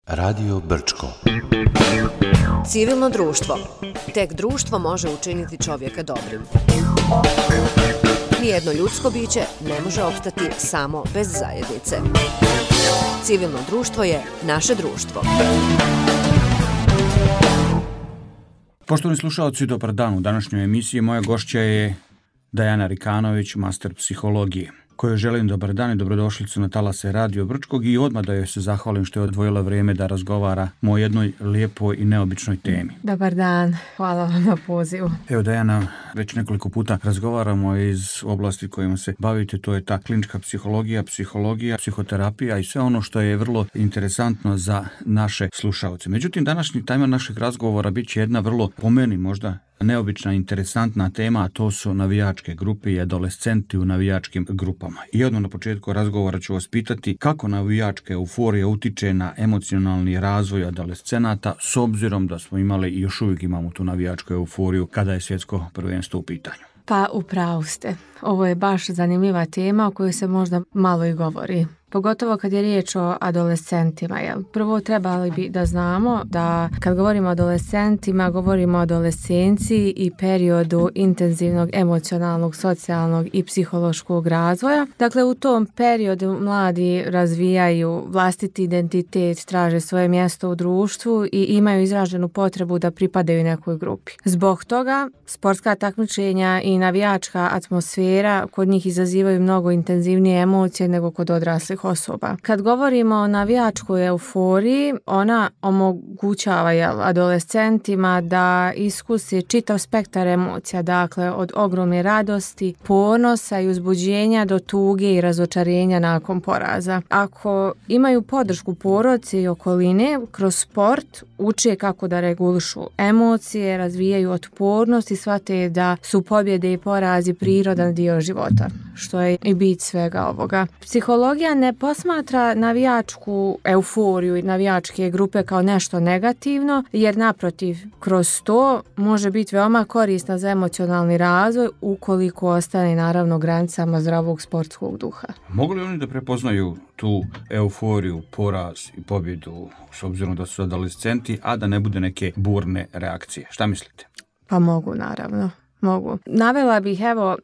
Radio Brčko. Civilno društvo. Tek društvo može učiniti čovjeka dobrim. Nijedno ljudsko biće ne može opstati samo bez zajednice. Civilno društvo je naše društvo. Poštovani slušalci, dobar dan. U današnjoj emisiji moja gošća je Dajana Rikanović, master psihologije, kojoj želim dobar dan i dobrodošlicu na talase Radio Brčkog i odmah da joj se zahvalim što je odvojila vrijeme da razgovara o jednoj lijepoj i neobičnoj temi. Dobar dan, hvala vam na pozivu. Evo Dajana, već nekoliko puta razgovaramo iz oblasti kojima se bavite, to je ta klinička psihologija, psihoterapija i sve ono što je vrlo interesantno za naše slušalce. Međutim, današnji tema našeg razgovora bit će jedna vrlo, po meni možda, neobična, interesantna tema, a to su navijačke grupe i adolescenti u navijačkim grupama. I odmah na početku razgovora ću vas pitati kako navijačka euforija utiče na emocionalni razvoj adolescenata, s obzirom da smo imali i još uvijek imamo tu navijačku euforiju kada je svjetsko prvenstvo u pitanju. Pa upravo ste. Ovo je baš zanimljiva tema o kojoj se možda malo i govori. Pogotovo kad je riječ o adolescentima. Prvo trebali bi da znamo da kad govorimo o adolescentima, govorimo o adolescenciji i periodu intenzivnog emocionalnog, socijalnog i psihološkog razvoja. Dakle, u tom periodu mladi razvijaju vlastiti identitet, traže svoje mjesto u društvu i imaju izraženu potrebu da pripadaju nekoj grupi. Zbog toga, sportska takmičenja i navijačka atmosfera kod njih izazivaju mnogo intenzivnije emocije nego kod odraslih osoba. Kad govorimo o navijačkoj euforiji, ona omogućava adolescentima da iskusi čitav spektar emocija, dakle od ogromne radosti, ponosa i uzbuđenja do tuge i razočarenja nakon poraza. Ako imaju podršku porodice i okoline, kroz sport uče kako da regulišu emocije, razvijaju otpornost i shvate da su pobjede i porazi prirodan dio života, što je i bit svega ovoga. Psihologija ne posmatra navijačku euforiju i navijačke grupe kao nešto negativno, jer naprotiv, kroz to može biti veoma korisna za emocionalni razvoj ukoliko ostane naravno granicama zdravog sportskog duha. Mogu li oni da prepoznaju tu euforiju, poraz i pobjedu s obzirom da su adolescenti, a da ne bude neke burne reakcije? Šta mislite? Pa mogu, naravno. Mogu. Navela bih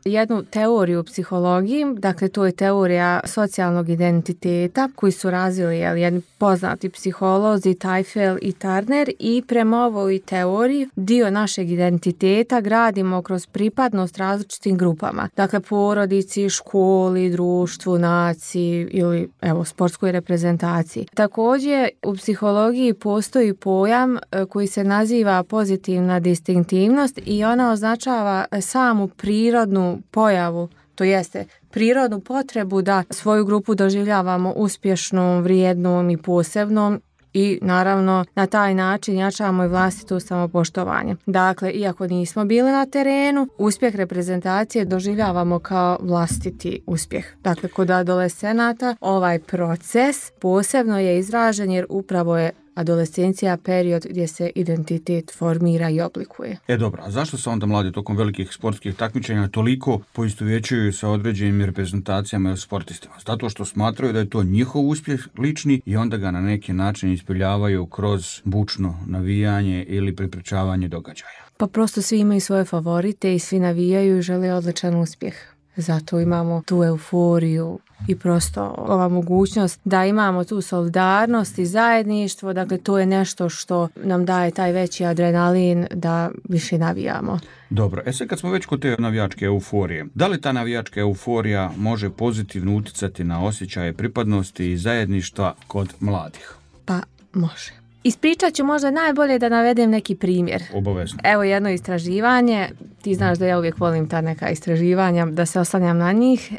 jednu teoriju u psihologiji, dakle to je teorija socijalnog identiteta koju su razvili jedni poznati psiholozi Teifel i Turner i prema ovoj teoriji dio našeg identiteta gradimo kroz pripadnost različitim grupama. Dakle porodici, školi, društvu, naciji ili sportskoj reprezentaciji. Također u psihologiji postoji pojam koji se naziva pozitivna distinktivnost i ona označava samu prirodnu pojavu, to jeste prirodnu potrebu da svoju grupu doživljavamo uspješnom, vrijednom i posebnom i naravno na taj način jačamo i vlastito samopoštovanje. Dakle, iako nismo bili na terenu, uspjeh reprezentacije doživljavamo kao vlastiti uspjeh. Dakle, kod adolescenata ovaj proces posebno je izražen jer upravo je adolescencija period gdje se identitet formira i oblikuje. Dobro, a zašto se onda mladi tokom velikih sportskih takmičenja toliko poistovjećuju sa određenim reprezentacijama i sportistima? Zato što smatraju da je to njihov uspjeh lični i onda ga na neki način ispoljavaju kroz bučno navijanje ili prepričavanje događaja. Pa prosto svi imaju svoje favorite i svi navijaju i žele odličan uspjeh. Zato imamo tu euforiju i prosto ova mogućnost da imamo tu solidarnost i zajedništvo, dakle to je nešto što nam daje taj veći adrenalin da više navijamo. Dobro, sad kad smo već kod te navijačke euforije, da li ta navijačka euforija može pozitivno utjecati na osjećaje pripadnosti i zajedništva kod mladih? Pa može. Ispričat ću možda najbolje da navedem neki primjer. Obavezno. Evo jedno istraživanje, ti znaš da ja uvijek volim ta neka istraživanja, da se oslanjam na njih.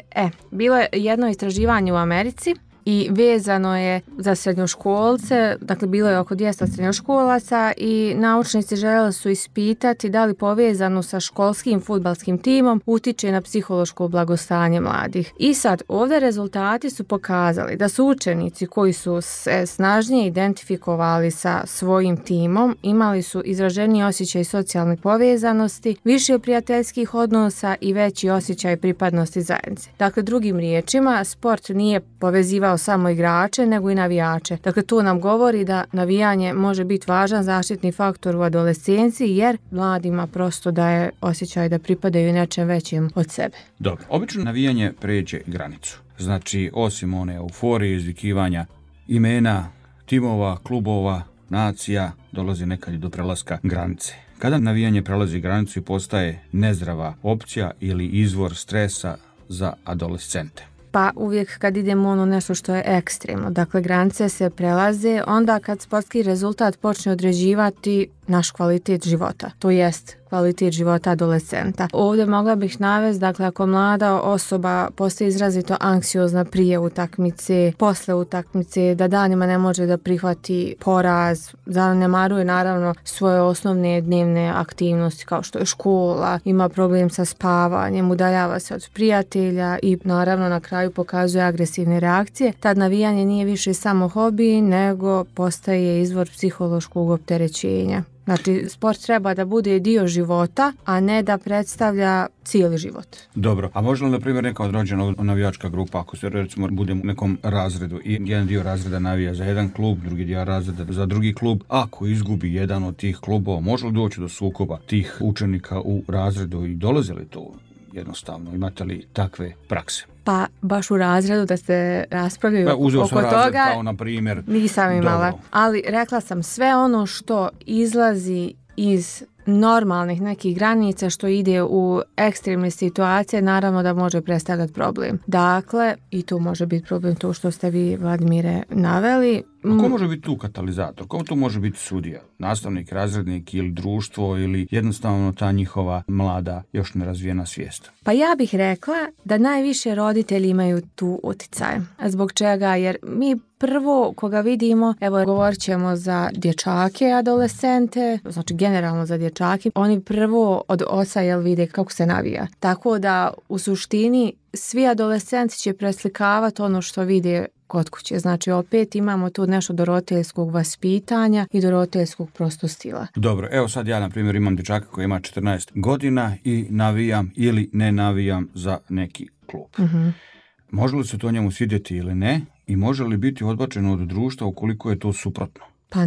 Bilo je jedno istraživanje u Americi i vezano je za srednjoškolce, dakle bilo je oko 200 srednjoškolaca i naučnici željeli su ispitati da li povezano sa školskim fudbalskim timom utiče na psihološko blagostanje mladih. I sad ovdje rezultati su pokazali da su učenici koji su se snažnije identifikovali sa svojim timom imali su izraženiji osjećaj socijalne povezanosti, više prijateljskih odnosa i veći osjećaj pripadnosti zajednice. Dakle, drugim riječima, sport nije povezivao kao samo igrače, nego i navijače. Dakle, to nam govori da navijanje može biti važan zaštitni faktor u adolescenciji, jer mladima prosto daje osjećaj da pripadaju nečem većim od sebe. Dobro, obično navijanje pređe granicu. Znači, osim one euforije, izvikivanja imena, timova, klubova, nacija, dolazi nekad i do prelaska granice. Kada navijanje prelazi granicu i postaje nezdrava opcija ili izvor stresa za adolescente? Pa uvijek kad idemo nešto što je ekstremno, dakle granice se prelaze onda kad sportski rezultat počne određivati naš kvalitet života, to jest kvalitet života adolescenta. Ovdje mogla bih navesti, dakle ako mlada osoba postaje izrazito anksiozna prije utakmice, posle utakmice, da danima ne može da prihvati poraz, zanemaruje naravno svoje osnovne dnevne aktivnosti kao što je škola, ima problem sa spavanjem, udaljava se od prijatelja i naravno na kraju pokazuje agresivne reakcije, tad navijanje nije više samo hobi, nego postaje izvor psihološkog opterećenja. Znači, sport treba da bude dio života, a ne da predstavlja cijeli život. Dobro, a može li, na primjer, neka određena navijačka grupa, ako se recimo budemo u nekom razredu i jedan dio razreda navija za jedan klub, drugi dio razreda za drugi klub, ako izgubi jedan od tih klubova, može li doći do sukoba tih učenika u razredu i dolazi li to jednostavno? Imate li takve prakse? Pa baš u razredu da se raspravljaju oko toga, kao na primjer, nisam imala. dobro. Ali rekla sam, sve ono što izlazi iz normalnih nekih granica, što ide u ekstremne situacije, naravno da može predstavljati problem. Dakle, i tu može biti problem to što ste vi, Vladimire, naveli. A ko može biti tu katalizator? Ko tu može biti sudija? Nastavnik, razrednik ili društvo ili jednostavno ta njihova mlada, još nerazvijena svijest? Pa ja bih rekla da najviše roditelji imaju tu utjecaj. Zbog čega? Jer mi prvo koga vidimo, evo govorit ćemo za dječake, adolescente, znači generalno za dječake, oni prvo od oca vide kako se navija. Tako da u suštini svi adolescenti će preslikavati ono što vide kod kuće. Znači opet imamo tu nešto do roditeljskog vaspitanja i do roditeljskog prosto stila. Dobro, evo sad ja na primjer imam dječaka koji ima 14 godina i navijam ili ne navijam za neki klub. Uh-huh. Može li se to njemu svidjeti ili ne i može li biti odbačeno od društva ukoliko je to suprotno? Pa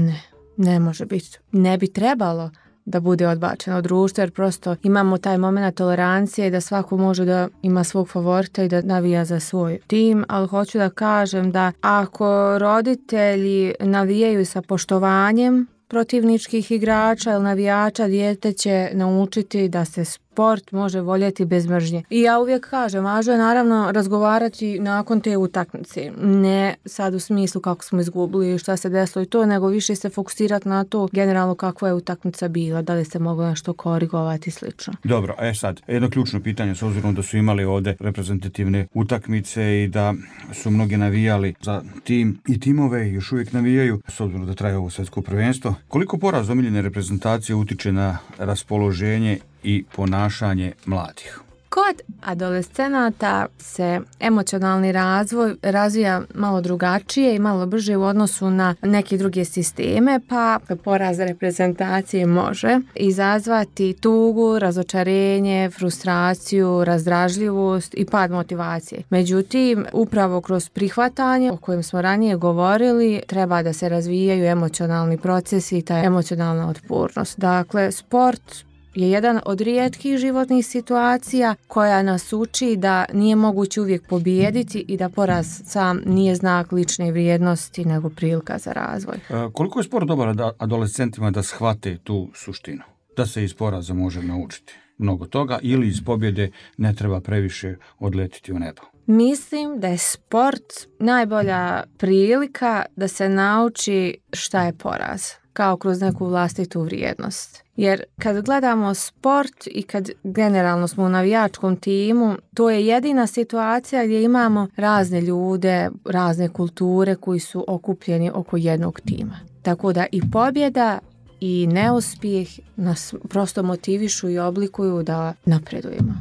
ne može biti. Ne bi trebalo da bude odbačeno od društva, jer prosto imamo taj moment tolerancije da svako može da ima svog favorita i da navija za svoj tim, ali hoću da kažem da ako roditelji navijaju sa poštovanjem protivničkih igrača ili navijača, dijete će naučiti da se sport može voljeti bez mržnje. I ja uvijek kažem, važno je naravno razgovarati nakon te utakmice. Ne sad u smislu kako smo izgubili, šta se desilo i to, nego više se fokusirati na to generalno kakva je utakmica bila, da li se moglo nešto korigovati i slično. Dobro, sad, jedno ključno pitanje, s obzirom da su imali ovdje reprezentativne utakmice i da su mnogi navijali za tim i timove još uvijek navijaju, s obzirom da traje ovo svjetsko prvenstvo. Koliko poraz omiljene reprezentacije utiče na raspoloženje i ponašanje mladih? Kod adolescenata se emocionalni razvoj razvija malo drugačije i malo brže u odnosu na neke druge sisteme, pa poraz reprezentacije može izazvati tugu, razočarenje, frustraciju, razdražljivost i pad motivacije. Međutim, upravo kroz prihvatanje o kojem smo ranije govorili, treba da se razvijaju emocionalni procesi i ta emocionalna otpornost. Dakle, sport je jedan od rijetkih životnih situacija koja nas uči da nije moguće uvijek pobijediti i da poraz sam nije znak lične vrijednosti nego prilika za razvoj. Koliko je sport dobar adolescentima da shvate tu suštinu? Da se iz poraza može naučiti mnogo toga ili iz pobjede ne treba previše odletiti u nebo? Mislim da je sport najbolja prilika da se nauči šta je poraz, kao kroz neku vlastitu vrijednost. Jer kad gledamo sport i kad generalno smo u navijačkom timu, to je jedina situacija gdje imamo razne ljude, razne kulture koji su okupljeni oko jednog tima. Tako da i pobjeda i neuspjeh nas prosto motivišu i oblikuju da napredujemo.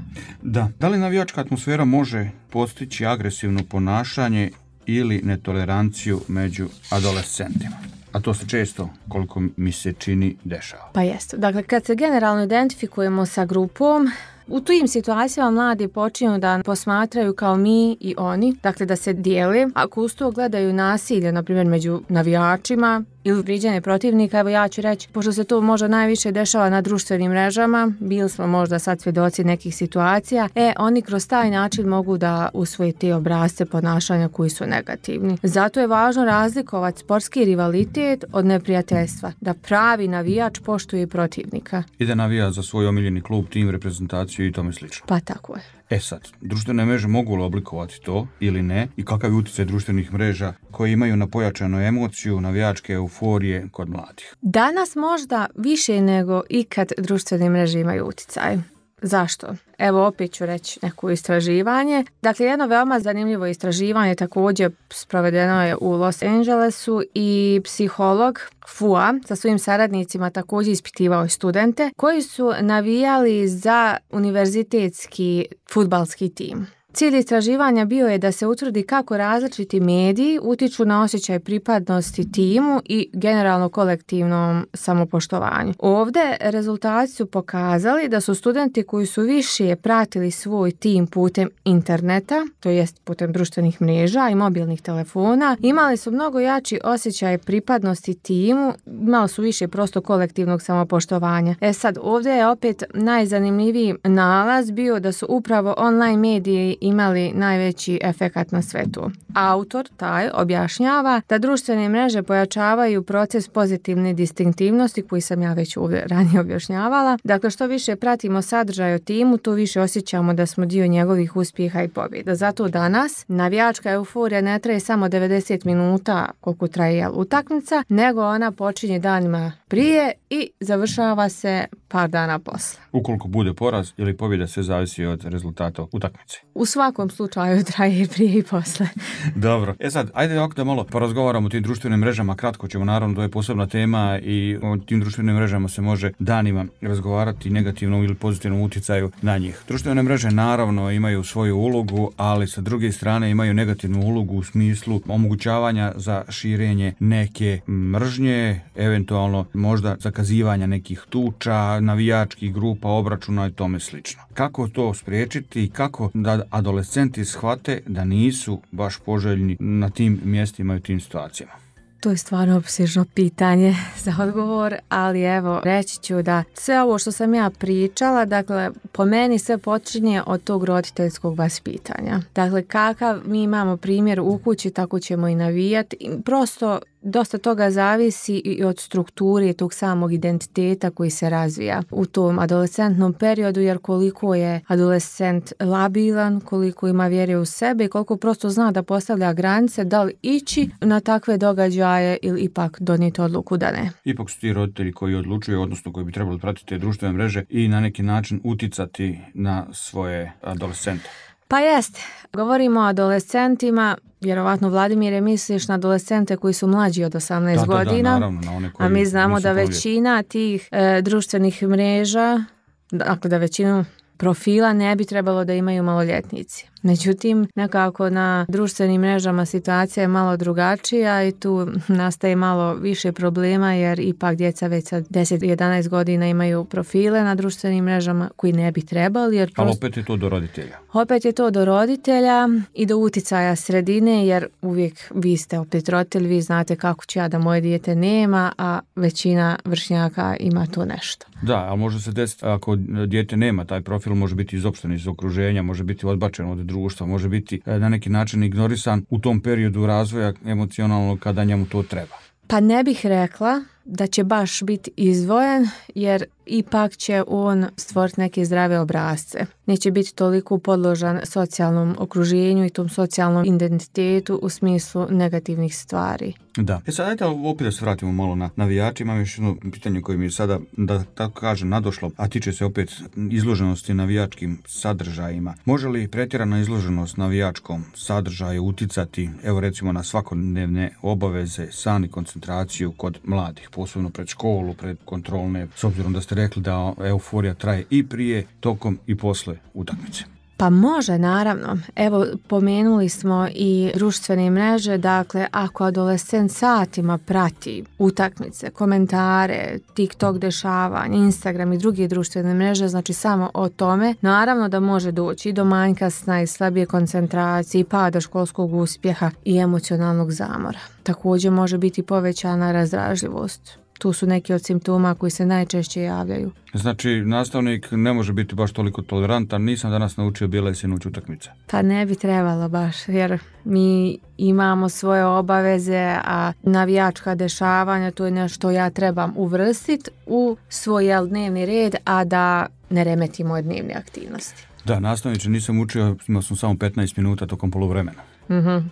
Da li navijačka atmosfera može postići agresivno ponašanje ili netoleranciju među adolescentima? A to se često, koliko mi se čini, dešava. Pa jeste. Dakle, kad se generalno identifikujemo sa grupom, U tim situacijama mladi počinju da posmatraju kao mi i oni, dakle da se dijele. Ako uz to gledaju nasilje, na primjer među navijačima ili vrijeđanje protivnika, evo ja ću reći, pošto se to možda najviše dešava na društvenim mrežama, bili smo možda sad svjedoci nekih situacija, oni kroz taj način mogu da usvoje te obrasce ponašanja koji su negativni. Zato je važno razlikovati sportski rivalitet od neprijateljstva, da pravi navijač poštuje protivnika. I da navija za svoj omiljeni klub, tim, reprezentaciju i tome slično. Pa tako je. Sad, društvene mreže mogu li oblikovati to ili ne i kakav je utjecaj društvenih mreža koje imaju na pojačanu emociju, navijačke euforije kod mladih? Danas možda više nego ikad društvene mreže imaju utjecaj. Zašto? Evo opet ću reći neko istraživanje. Dakle, jedno veoma zanimljivo istraživanje također sprovedeno je u Los Angelesu i psiholog FUA sa svojim saradnicima također ispitivao studente koji su navijali za univerzitetski fudbalski tim. Cilj istraživanja bio je da se utvrdi kako različiti mediji utiču na osjećaj pripadnosti timu i generalno kolektivnom samopoštovanju. Ovdje rezultati su pokazali da su studenti koji su više pratili svoj tim putem interneta, to jest putem društvenih mreža i mobilnih telefona, imali su mnogo jači osjećaj pripadnosti timu, imali su više prosto kolektivnog samopoštovanja. Sad, ovdje je opet najzanimljiviji nalaz bio da su upravo online mediji imali najveći efekat na svetu. Autor taj objašnjava da društvene mreže pojačavaju proces pozitivne distinktivnosti koji sam ja već ovdje ranije objašnjavala. Dakle, što više pratimo sadržaj o timu, to više osjećamo da smo dio njegovih uspjeha i pobjeda. Zato danas navijačka euforija ne traje samo 90 minuta koliko traje utakmica, nego ona počinje danima prije i završava se par dana posle. Ukoliko bude poraz ili pobjeda, sve zavisi od rezultata utakmice. U svakom slučaju traje prije i posle. Dobro. Sad, ajde ovako da malo porazgovaramo o tim društvenim mrežama. Kratko ćemo, naravno, to je posebna tema i o tim društvenim mrežama se može danima razgovarati negativnom ili pozitivnom utjecaju na njih. Društvene mreže naravno imaju svoju ulogu, ali sa druge strane imaju negativnu ulogu u smislu omogućavanja za širenje neke mržnje, eventualno možda zakazivanja nekih tuča, navijačkih grupa, obračuna i tome slično. Kako to spriječiti i kako da adolescenti shvate da nisu baš poželjni na tim mjestima i u tim situacijama? To je stvarno opsežno pitanje za odgovor, ali evo, reći ću da sve ovo što sam ja pričala, dakle, po meni sve počinje od tog roditeljskog vaspitanja. Dakle, kakav mi imamo primjer u kući, tako ćemo i navijati. Prosto dosta toga zavisi i od strukture tog samog identiteta koji se razvija u tom adolescentnom periodu, jer koliko je adolescent labilan, koliko ima vjere u sebe i koliko prosto zna da postavlja granice, da li ići na takve događaje ili ipak donijeti odluku da ne. Ipak su ti roditelji koji odlučuju, odnosno koji bi trebali pratiti te društvene mreže i na neki način uticati na svoje adolescente. Pa jest, govorimo o adolescentima, vjerovatno Vladimire misliš na adolescente koji su mlađi od 18 godina, naravno, na one koji a mi znamo da nisu većina tih društvenih mreža, dakle da većinu profila ne bi trebalo da imaju maloljetnici. Međutim, nekako na društvenim mrežama situacija je malo drugačija i tu nastaje malo više problema jer ipak djeca već sa 10-11 godina imaju profile na društvenim mrežama koji ne bi trebali. Jer ali opet je to do roditelja. Opet je to do roditelja i do uticaja sredine jer uvijek vi ste opet roditelj, vi znate kako ću ja da moje dijete nema, a većina vršnjaka ima to nešto. Da, ali može se desiti ako dijete nema taj profil, može biti izopšten iz okruženja, može biti odbačen od društva, može biti na neki način ignorisan u tom periodu razvoja emocionalnog kada njemu to treba. Pa ne bih rekla da će baš biti izdvojen jer ipak će on stvoriti neke zdrave obrasce. Neće biti toliko podložan socijalnom okruženju i tom socijalnom identitetu u smislu negativnih stvari. Da. Sad ajde opet da se vratimo malo na navijače. Imam još jedno pitanje koje mi je sada, da tako kažem, nadošlo, a tiče se opet izloženosti navijačkim sadržajima. Može li pretjerana izloženost navijačkom sadržaju uticati, evo recimo, na svakodnevne obaveze, san i koncentraciju kod mladih, posebno pred školu, pred kontrolne, s obzirom da ste rekli da euforija traje i prije, tokom i posle utakmice? Pa može, naravno. Evo, pomenuli smo i društvene mreže, dakle, ako adolescent satima prati utakmice, komentare, TikTok dešavanja, Instagram i druge društvene mreže, znači samo o tome, naravno da može doći i do manjka sna i slabije koncentracije, pada školskog uspjeha i emocionalnog zamora. Također može biti povećana razdražljivost. Tu su neki od simptoma koji se najčešće javljaju. Znači, nastavnik ne može biti baš toliko tolerantan, nisam danas naučio bijele sinoć utakmice. Pa ne bi trebalo baš, jer mi imamo svoje obaveze, a navijačka dešavanja, to je nešto ja trebam uvrstiti u svoj dnevni red, a da ne remeti moje dnevne aktivnosti. Da, nastavniče, nisam učio, imao sam samo 15 minuta tokom poluvremena.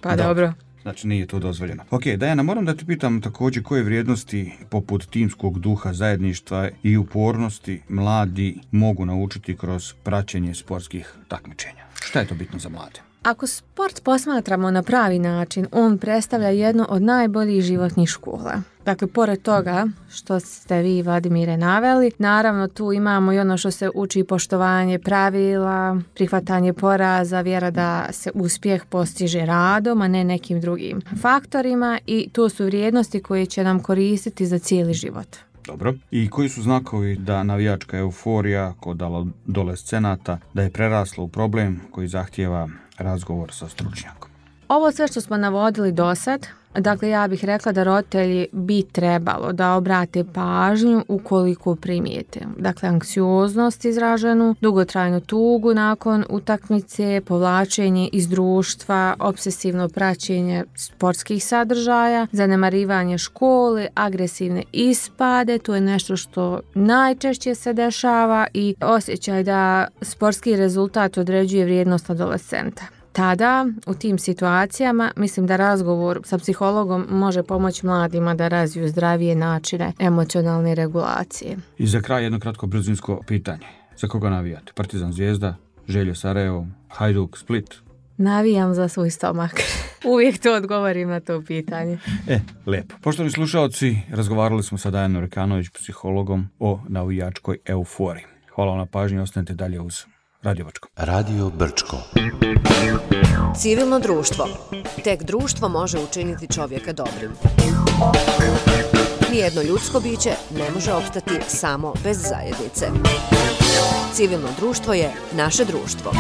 Pa dobro. Znači nije to dozvoljeno. Ok, Dajana, moram da te pitam također koje vrijednosti poput timskog duha, zajedništva i upornosti mladi mogu naučiti kroz praćenje sportskih takmičenja. Šta je to bitno za mlade? Ako sport posmatramo na pravi način, on predstavlja jedno od najboljih životnih škola. Dakle, pored toga što ste vi, Vladimire, naveli, naravno tu imamo i ono što se uči poštovanje pravila, prihvatanje poraza, vjera da se uspjeh postiže radom, a ne nekim drugim faktorima, i to su vrijednosti koje će nam koristiti za cijeli život. Dobro. I koji su znakovi da navijačka euforija kod adolescenata da je prerasla u problem koji zahtijeva razgovor sa stručnjakom? Ovo sve što smo navodili do sad, dakle ja bih rekla da roditelji bi trebalo da obrate pažnju ukoliko primijete. Dakle, anksioznost izraženu, dugotrajnu tugu nakon utakmice, povlačenje iz društva, obsesivno praćenje sportskih sadržaja, zanemarivanje škole, agresivne ispade, to je nešto što najčešće se dešava, i osjećaj da sportski rezultat određuje vrijednost adolescenta. Tada, u tim situacijama, mislim da razgovor sa psihologom može pomoći mladima da razviju zdravije načine emocionalne regulacije. I za kraj jedno kratko brzinsko pitanje. Za koga navijate? Partizan, Zvijezda, Želje, Sarajevo, Hajduk, Split? Navijam za svoj stomak. Uvijek to odgovorim na to pitanje. Lijepo. Poštovani slušalci, razgovarali smo sa Dajanom Rekanović, psihologom, o navijačkoj euforiji. Hvala vam na pažnji, ostanite dalje uz Radio Brčko. Radio Brčko. Civilno društvo. Tek društvo može učiniti čovjeka dobrim. Nijedno ljudsko biće ne može opstati samo bez zajednice. Civilno društvo je naše društvo.